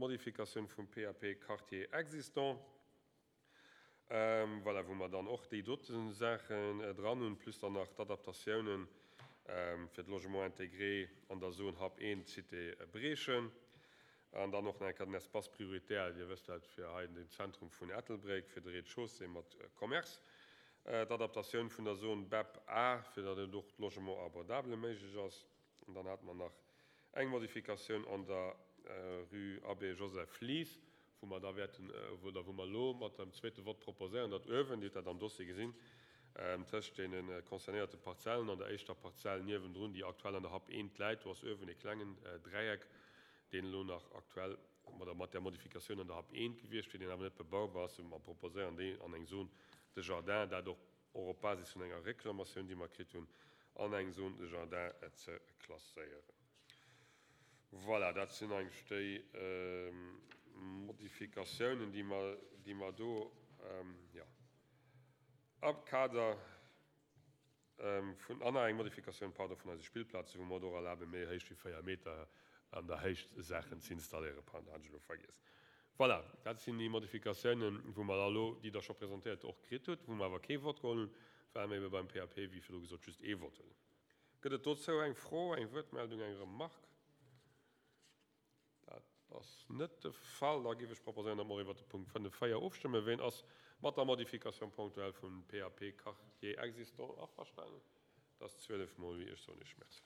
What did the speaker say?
d'Modifikatioun vum PAP Quartier existant, voilà, wou mer dann och déi dote Saachen dran hunn, plus dann nach d'Adaptatiounen fir de Logement intégré an der Zone Hub 1, Cité Briechen. An dann och nach eng Kéier den Espace prioritaire, Dir wësst dat, fir hei den Zentrum vun Ettelbréck, fir de Rez-de-chaussée mat Commerce, d'Adaptatioun vun der Zone BEP A, fir datt et och de Logement abordable méiglech ass. An dann hate mer nach eng Modifikatioun an der Rue Abbé Joseph Lies, wou mer da wäerten, oder wou mer elo mat dem zweete Vott proposéieren, datt uewen, Dir hutt dat am Dossier gesinn, tëscht deene concernéierte Parzellen an der éischter Parzell niewendrun, déi aktuell an der Hub 1 läit, do ass uewen e klengen Dräieck, deen elo nach aktuell oder mat där Modifikatioun an der Hub 1 gewiescht wier, deen awer net bebaubar ass, wou mer proposéieren, deen an eng Zone de jardin, dat och och op Basis vun enger Reklamatioun, déi mer kritt hunn, an eng Zone de jardin ze klasséieren. Voilà, dat sinn eigentlech déi Modifikatiounen, déi mer, déi mer do, jo, am Kader vun, an nach eng Modifikatioun, pardon, vun eise Spillplazen, wou mer et och erlaben, méi héich wéi 4 Meter an der Héicht Saachen ze installéieren. Pardon, hat ech elo vergiess. Voilà, dat sinn déi Modifikatiounen, wou mer da elo, déi Der scho presentéiert och kritt hutt, wou mer awer kee Vott geholl hunn, well mer ebe beim PAP, wéi virdru gesot, just ee Vott hunn. Gëtt et dozou eng Fro, eng Wuertmeldung, eng Remarque? Dat ass net de Fall. Da géif ech proposéieren, datt mer och iwwert de Punkt 5, 4 ofstëmmen. Ween ass mat der Modification ponctuelle vum PAP Quartier existant averstanen? Dat ass 12 mol wéi. Ech soen Iech Merci.